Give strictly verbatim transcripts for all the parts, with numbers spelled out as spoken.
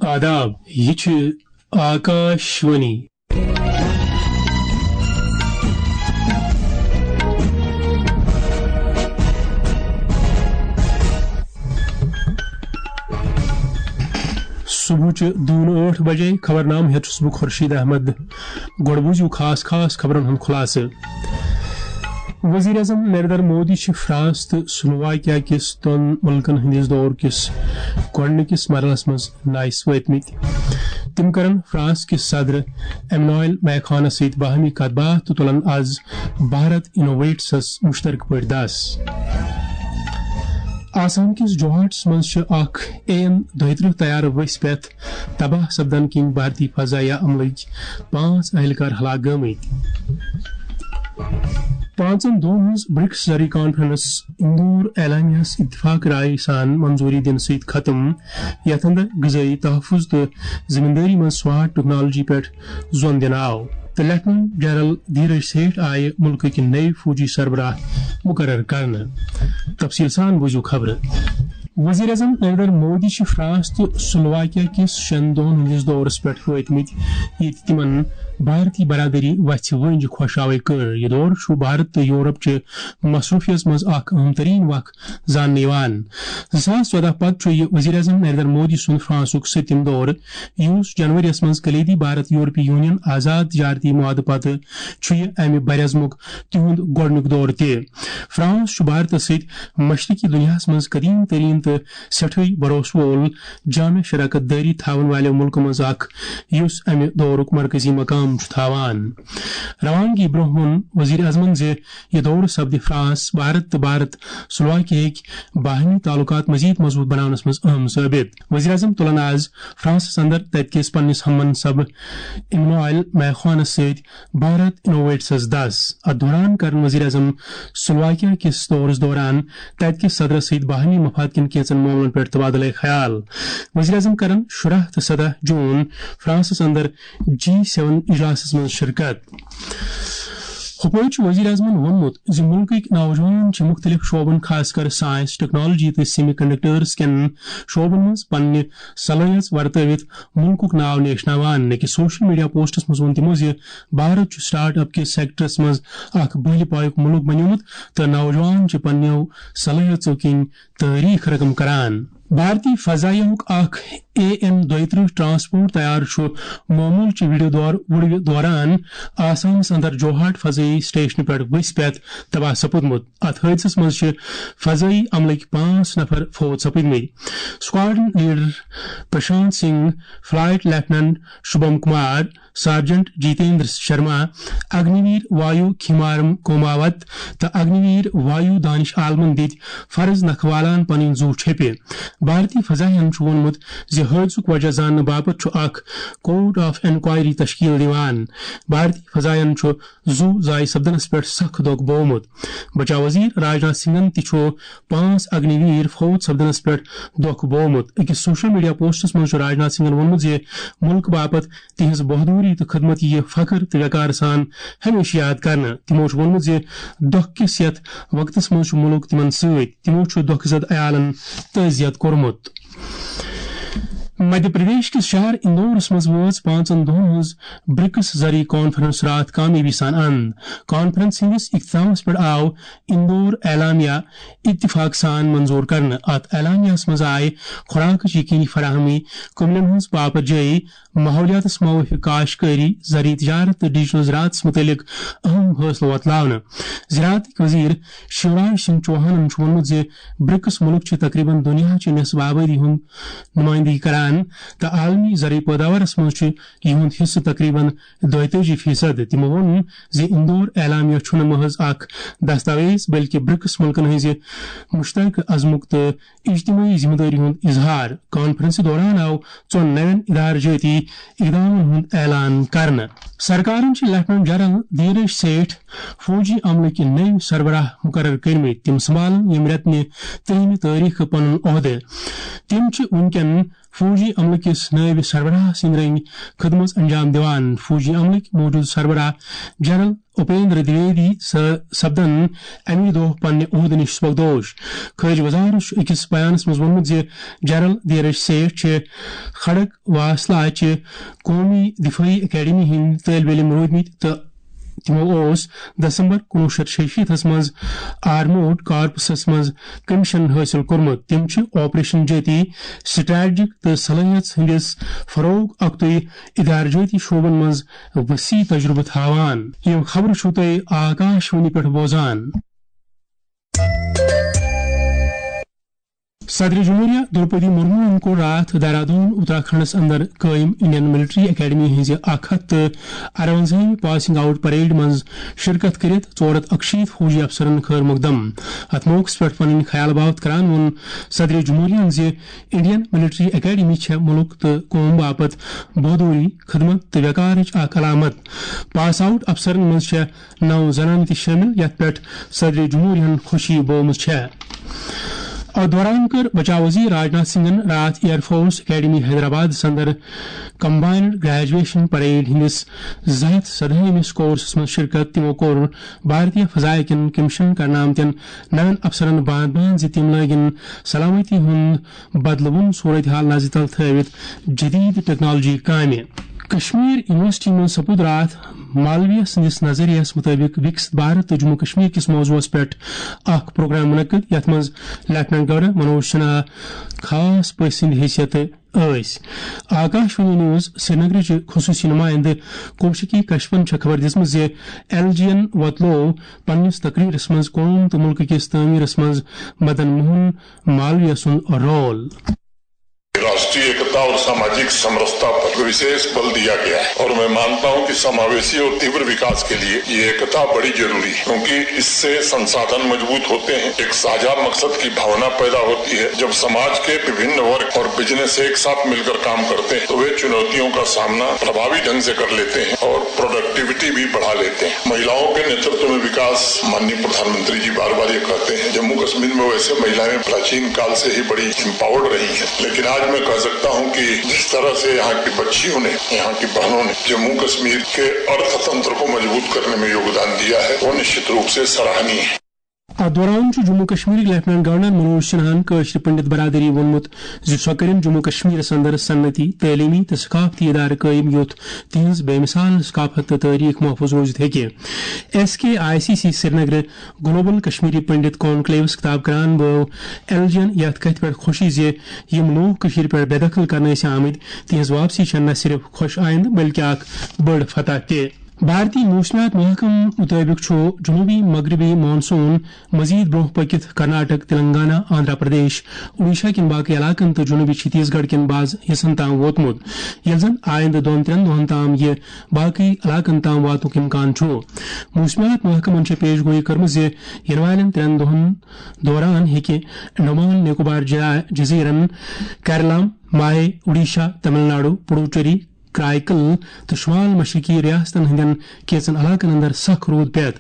آداب، یہِ چھِ آکاش وانی۔ صبحٕچہِ دوٗنہٕ ٲٹھ بجے۔ خبرنامہٕ ہٮ۪تھ چھُس بہٕ خورشید احمد۔ گۄڈٕ بوٗزِو خاص خاص خبرن ہُنٛد خُلاصہٕ۔ وزیر اعظم نریندر مودی چھِ فرانس تہٕ سلوواکیا کِس دۄن مُلکن ہٕنٛدِس دورٕ کِس گۄڈٕنِکِس مرحلس منٛز نایہِ سۭتۍ وٲتمٕتۍ۔ تِم کرن فرانس کِس صدر ایمنوئل میکھانس سۭتۍ باہمی کتھ باتھ تہٕ تُلن از بھارت انوویٹسس مشترکہٕ پٲٹھۍ دس۔ آسام کِس جوہاٹس منٛز چھِ اکھ اے این دۄیہِ ترٕٛہ طیارٕ ؤسۍ پٮ۪تھ تباہ سپدن کِنۍ بھارتی فضائیہ عملٕکۍ پانٛژھ اہلکار ہلاک گٔمٕتۍ۔ پانٛژن دۄہن ہٕنٛز برکس زرعی کانفرنس اندور اعلامیہس اتفاق رائے سان منظوری دِنہٕ سۭتۍ ختم، یتھ اندر غذٲیی تحفظ تہٕ زمیندٲری منٛز سمارٹ ٹیکنالوجی پٮ۪ٹھ زون دِنہٕ آو تہٕ لیفٹیننٹ جنرل دھیرج سیٹھ آیہِ مُلکٕکۍ نٔوۍ فوجی سربراہ مقرر کرنہٕ۔ تفصیل سان بوٗزِو خبرٕ۔ وزیر اعظم نریندر مودی چھِ فرانس تہٕ سلوواکیا کِس شٮ۪ن دۄہن ہٕنٛدِس دورس پٮ۪ٹھ وٲتمٕتۍ، ییٚتہِ تِمن بھارتی برادری وژھِ وٲنٛجہِ خۄشاوٕے کٔر۔ یہِ دورٕ چھُ بھارت تہٕ یورپ چہِ مصروفیت منٛز اکھ اہم ترین وق زاننہٕ یِوان۔ زٕ ساس ژۄدہ پتہٕ چھُ یہِ وزیر اعظم نریندر مودی سُنٛد فرانسُک سٔتِم دورٕ، یُس جنوریَس منٛز کلیدی بھارت یورپی یونین آزاد تجارتی معاہدٕ پتہٕ چھُ یہِ امہِ برعزمُک تِہُنٛد گۄڈٕنیُک دورٕ تہِ۔ فرانس چھُ بھارتس سۭتۍ مشرقی دنیاہس منٛز قدیم ترین تہٕ سٮ۪ٹھٕے بھروسہٕ وول جامع شراکت دٲری تھاون والٮ۪و مُلکو منٛز اکھ، یُس امہِ دورُک مرکزی مقام چھُ تھاوان۔ روانگی برونٛہہ ووٚن وزیر اعظمن زِ یہِ دورٕ سپدِ فرانس، بھارت تہٕ بھارت سلوواکیاہٕکۍ باہمی تعلقات مزید مضبوط بناونس منٛز اہم ثٲبت۔ وزیر اعظم تُلن آز فرانسس اندر تتہِ کِس پننِس ہم منصب ایمنوئل میخوانس سۭتۍ بھارت انوویٹسس دس۔ اتھ دوران کرن وزیر اعظم سلوواکیا کِس دورس دوران تتہِ کِس صدرس سۭتۍ باہمی مفاد کٮ۪ن کینٛژن معاملن پٮ۪ٹھ تبادلہ خیال۔ وزیر اعظم کرن شُراہ تہٕ سداہ جون فرانسس اندر جی سیون اجلاسس منٛز شرکت۔ ہُپٲرۍ چھُ وزیر اعظمن ووٚنمُت زِ مُلکٕکۍ نوجوان چھِ مُختٔلِف شعبن، خاص کر سائنس، ٹیکنالوجی تہٕ سیمی کنڈکٹرز کٮ۪ن شعبن منٛز پننہِ صلٲحیژ ورتٲوِتھ مُلکُک ناو نیشناوان۔ أکِس سوشل میڈیا پوسٹس منٛز ووٚن تِمو زِ بھارت چھُ سٹارٹ اپ کِس سیکٹرس منٛز اکھ بٔلۍ پایُک مُلک بنیومُت تہٕ نوجوان چھِ پننیو صلٲحیژو کِنۍ تٲریخ رقم کران۔ بھارتی فضائیہ ہُک اکھ اے این دۄیہِ ترٕٛہ ٹرانسپورٹ طیارٕ چھُ معموٗل چہِ ویڈیو دور وُڑوِ دوران آسامس اندر جوہاٹ فضائی سٹیشنہٕ پٮ۪ٹھ ؤسۍ پٮ۪تھ تباہ سپُدمُت۔ اتھ حٲدثس منٛز چھِ فضائی عملٕکۍ پانٛژھ نفر فوت سپٕدمٕتۍ۔ Squadron leader Prashant Singh, flight lieutenant Shubham Kumar, sergeant Jitendra Sharma, Agniveer Vayu Khemaram کوماوت تہٕ اگنی ویر وایو دانش عالمن دِتۍ فرض نکھٕ والان پنٕنۍ زُو چھپہِ۔ بھارتی فضائین چھُ ووٚنمُت زِ حٲدثُک وجہ زاننہٕ باپتھ چھُ اکھ کورٹ آف انکوائری تشکیل دِوان۔ بھارتی فضائین چھُ زُو ضایع سپدنس پٮ۪ٹھ سخ دۄکھ بوومُت۔ بچاو وزیر راجناتھ سنگھن تہِ چھُ پانٛژھ اگنی ویر فوت سپدنس پٮ۪ٹھ دۄکھ بوومُت۔ أکِس سوشل میڈیا پوسٹس منٛز چھُ راجناتھ سنگھن ووٚنمُت زِ مُلکہٕ باپتھ تِہنٛز بہادری تہٕ خدمت یِیہِ فخر تہٕ وقار سان ہمیشہٕ یاد کرنہٕ۔ تِمو چھُ ووٚنمُت زِ دۄکھ کِس یتھ وقتس منٛز چھُ مُلک تِمن سۭتۍ۔ تِمو چھُ دۄکھٕ زد عیالن تعزیت کوٚرمُت۔ مدھیہ پردیش کِس شہر اندورس منٛز وٲژ پانٛژن دۄہن ہٕنٛز برکس زرعی کانفرنس راتھ کامیٲبی سان اند۔ کانفرنس ہٕنٛدِس اختتامس پٮ۪ٹھ آو اندور اعلامیہ اتفاق سان منظور کرنہٕ۔ اتھ اعلامیہس منٛز آیہِ خوراکٕچ یقینی فراہمی، کٔمِلین ہٕنٛز پاپر جٲیی، ماحولیاتس موافق کاشتکٲری، زرعی تجارت تہٕ ڈیجیٹل زراعتس متعلق اہم فٲصلہٕ وۄتلاونہٕ۔ زراعتٕکۍ وزیر شیوراج سنگھ چوہانن چھُ ووٚنمُت زِ برکس مُلک چھِ تقریباً دُنیاہچہِ نصف آبٲدی ہُنٛد نُمٲیندگی کران تہٕ عالمی زرعی پٲداوارس منٛز چھُ یِہُنٛد حصہٕ تقریباً دۄیتٲجی فیصد۔ تِمو ووٚن زِ اندور اعلامیہ چھُنہٕ محض اکھ دستاویز، بلکہِ برکس مُلکن ہٕنٛزِ مشترکہٕ عزمُک تہٕ اجتماعی ذمہ دٲری ہُنٛد اظہار۔ کانفرنسہِ دوران آو ژۄن نوٮ۪ن ادارٕ جٲتی اقدامن ہُنٛد اعلان کرنہٕ۔ سرکارن چھِ لیفٹیننٹ جنرل دھیرج سیٹھ فوجی عملٕکۍ نٔوۍ سربراہ مقرر کٔرمٕتۍ۔ تِم سنبھالن ییٚمہِ رٮ۪تہٕ نہِ ترٛہمہِ تٲریخہٕ پنُن عہدٕ۔ تِم چھِ وُنکٮ۪ن فوجی عملہٕ کِس نٲیِب سربراہ سٕنٛدۍ رٔنگۍ خدمژ انجام دِوان۔ فوجی عملٕکۍ موٗجوٗدٕ سربراہ جنرل اپیندر دویدی س-، سپدن اَمی دۄہ پننہِ عہدٕ نِش سبکدوش۔ خارجہ وزارت چھُ أکِس بیانس منٛز ووٚنمُت زِ جنرل دھیرج سیٹھ چھِ کھڑک واسلا چہِ قومی دفٲعی اکیڈمی ہٕنٛدۍ طٲلبہِ علم روٗدمٕتۍ تہٕ تِمو اوس دسمبر کُنوُہ شیٚتھ شیٚیہِ شیٖتس منٛز آرمورڈ کارپسس منٛز کمیشن حٲصِل کوٚرمُت۔ تِم چھِ آپریشن جٲتی، سٹریٹجک تہٕ صلٲحیت ہٕنٛدِس فروغ اکتُے ادارٕ جٲتی شعبن منٛز وسیع تجربہٕ تھاوان۔ یِم خبرٕ چھِو تُہۍ آکاش وانی پٮ۪ٹھ بوزان۔ صدر جمہوریہ درپدی مرموہن کوٚر راتھ دہرادون اتراکھنڈس اندر قٲیم انڈین ملٹری اکیڈمی ہٕنٛزِ اکھ ہتھ تہٕ ارونزٲہمہِ پاسنگ آؤٹ پریڈ منٛز شرکت کٔرِتھ ژور ہتھ اکشیٖتھ فوجی افسرن خٲر مقدم۔ اتھ موقعس پٮ۪ٹھ پنٕنۍ خیال باوت کران ووٚن صدر جمہوریہن زِ انڈین ملٹری اکیڈمی چھےٚ ملک تہٕ قوم باپتھ بہادری، خدمت تہٕ وقارٕچ اکھ علامت۔ پاس آؤٹ افسرن منٛز چھےٚ نو زنانہٕ تہِ شٲمِل، یتھ پٮ۪ٹھ صدر جمہوریہن خوشی بٲومٕژ چھےٚ۔ اتھ دوران کٔر بچاو وزیر راجناتھ سنگھن راتھ ایئر فورس اکیڈمی حیدرآبادس اندر کمبائنڈ گریجویشن پریڈ ہٕنٛدِس زٕ ہتھ سدہٲیمِس کورسس منٛز شرکت۔ تِمو کوٚر بھارتیہ فضائیہ کٮ۪ن کمیشن کرنہٕ آمتٮ۪ن نوٮ۪ن افسرن باند باند زِ تِم لٲگِن سلامتی ہُنٛد بدلوُن صورتحال نظرِ تل تھٲوِتھ جدید ٹیکنالوجی کامہِ۔ کشمیر یونیورسٹی منٛز سپُد راتھ مالویہ سٕنٛدِس نظریس مُطٲبِق وِکسِت بھارت تہٕ جموں کشمیر کِس موضوعس پٮ۪ٹھ اکھ پروگرام منعقد، یتھ منٛز لیفٹیننٹ گورنر منوج سنہا خاص پٔژھۍ سٕنٛدِ حیثیتہٕ ٲسۍ۔ آکاش وانی نیوز سرینگرٕچ خصوٗصی نُمٲیِندٕ کوشکی کشپن چھےٚ خبر دِژمٕژ زِ ایل جی یَن وۄتلوو پننِس تقریرس منٛز قوم تہٕ مُلکہٕ کِس تعمیرس منٛز مدن موہن مالویہ سُنٛد رول۔ राष्ट्रीय एकता और सामाजिक समरसता पर विशेष बल दिया गया है और मैं मानता हूं कि समावेशी और तीव्र विकास के लिए ये एकता बड़ी जरूरी है, क्योंकि इससे संसाधन मजबूत होते हैं, एक साझा मकसद की भावना पैदा होती है। जब समाज के विभिन्न वर्ग और बिजनेस एक साथ मिलकर काम करते हैं, तो वे चुनौतियों का सामना प्रभावी ढंग से कर लेते हैं और प्रोडक्टिविटी भी बढ़ा लेते हैं। महिलाओं के नेतृत्व में विकास, माननीय प्रधानमंत्री जी बार बार ये कहते हैं, जम्मू कश्मीर में वैसे महिलाएं प्राचीन काल से ही बड़ी एम्पावर्ड रही हैं, लेकिन आज मैं कह सकता हूं कि जिस तरह से यहाँ की बच्चियों ने, यहाँ की बहनों ने जम्मू कश्मीर के अर्थतंत्र को मजबूत करने में योगदान दिया है, वो निश्चित रूप से सराहनीय है। اتھ دوران چھُ جموں کشمیرٕکۍ لیفٹیننٹ گورنر منوج سنہاہن کٲشرِ پنڈت برادری ووٚنمُت زِ سۄ کٔرِن جموں کشمیرس اندر صنعتی، تعلیمی تہٕ ثقافتی ادارٕ قٲیِم، یُتھ تِہنٛز بے مثال ثقافت تہٕ تٲریخ محفوظ روٗزِتھ ہیٚکہِ۔ S K I C C سرینگرٕ گلوبل کشمیری پنڈت کانکلیوس خطاب کران بٲو ایل جی یَن یَتھ کتھِ پٮ۪ٹھ خوشی زِ یِم لوٗکھ کٔشیٖرِ پٮ۪ٹھ بے دخل کرنہٕ ٲسۍ آمٕتۍ، تِہنٛز واپسی چھےٚ نہ صرف خۄش آیندٕ بلکہِ اکھ بٔڑ فتح تہِ۔ بھارتی موسمیات محکمہٕ مُطٲبِق چھُ جنوٗبی مغربی مانسون مزید برونٛہہ پٔکِتھ کرناٹک، تلنگانہ، آندھرا پردیش، اوڈیشہ کٮ۪ن باقٕے علاقن تہٕ جنوٗبی چھتیس گڑھ کٮ۪ن بعض حصن تام ووتمُت، ییٚلہِ زن آیندٕ دۄن ترٛٮ۪ن دۄہن تام یہِ باقٕے علاقن تام واتنُک امکان چھُ۔ موسمیات محکمن چھےٚ پیش گویی کٔرمٕژ زِ یِنہٕ والٮ۪ن ترٛٮ۪ن دۄہن دوران ہیٚکہِ انڈمان نکوبار جا-، جزیرن، کیرلام، ماہے، اوڈیشہ، تمل ناڈو، پڈوچیری، کرائیکل تہٕ شمال مشرقی ریاستن ہٕنٛدٮ۪ن کینٛژن علاقن اندر سخ روٗد پٮ۪تھ۔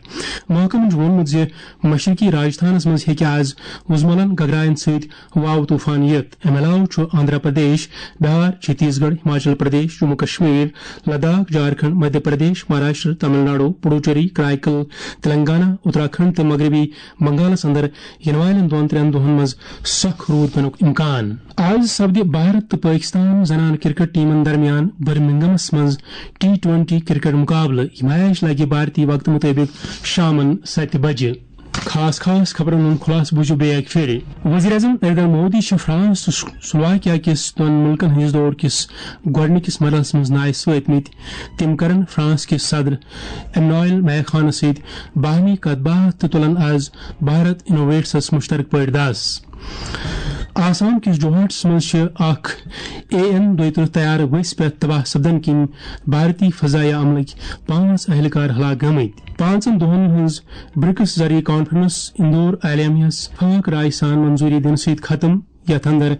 محکمن چھُ ووٚنمُت زِ مشرقی راجستھانس منٛز ہیٚکہِ آز وُزملن گگراین سۭتۍ واو طوفان یِتھ۔ امہِ علاوٕ چھُ آندھرا پردیش، بہار، چھتیس گڑھ، ہماچل پردیش، جموں کشمیر، لداخ، جھارکھنڈ، مدھیہ پردیش، مہاراشٹر، تمل ناڈو، پڈوچیری، کرائیکل، تلنگانہ، اتراکھنڈ تہٕ مغربی بنگالس اندر یِنہٕ والٮ۪ن دۄن ترٛٮ۪ن دۄہن منٛز سخ روٗد پینُک امکان۔ آز سپدِ بھارت تہٕ پٲکستان زنانہٕ کرکٹ ٹیمن درمیان برمنگمس منٛز ٹی ٹوینٹی کرکٹ مقابلہٕ۔ یہِ میچ لگہِ بھارتی وقتہٕ مُطٲبِق شامن ستہِ بجہِ۔ خاص خاص خبرن ہُنٛد خلاصہٕ بوٗزِو بیٚیہِ اکہِ پھِرِ۔ وزیر اعظم نریندر مودی چھِ فرانس تہٕ سلواکیا کِس دۄن مُلکن ہٕنٛدِس دورٕ کِس گۄڈٕنِکِس مرحلس منٛز نایہِ سۭتۍ مٕتۍ۔ تِم کرن فرانس کِس صدر ایمنوئل میخانس سۭتۍ باہمی کتھ باتھ تہٕ تُلن آز بھارت انوویٹسس مشترکہٕ پٲٹھۍ دس۔ آسام کِس جوہاٹس منٛز چھِ اکھ اے این دۄیہِ ترٕٛہ طیارٕ ؤسۍ پٮ۪تھ تباہ سپدن کِنۍ بھارتی فضائیہ عملٕکۍ پانٛژھ اہلکار ہلاک گٔمٕتۍ۔ پانٛژن دۄہن ہٕنٛز برکس زرعی کانفرنس اندور عالمیہ ہس فاق رائے سان منظوری دِنہٕ سۭتۍ ختم۔ یتھ اندر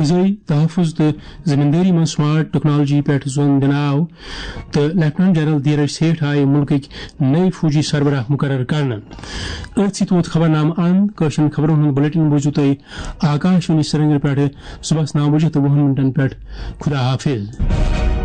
غذٲئی تحفظ تہٕ زمیندٲری منٛز سمارٹ ٹیکنالوجی پٮ۪ٹھ زون دِنہٕ آو تہٕ لیفٹیننٹ جنرل دھیرج سیٹھ آیہِ مُلکٕکۍ نٔوۍ فوجی سربراہ مقرر کرنہٕ۔ أتھۍ سۭتۍ ووت خبرنامہٕ اند۔ کٲشرٮ۪ن خبرن ہُنٛد بلیٹن بوٗزِو تُہۍ آکاش وانی سرینگر پٮ۪ٹھٕ صبحس نو بجے تہٕ وُہن منٹن پٮ۪ٹھ۔ خدا حافظ۔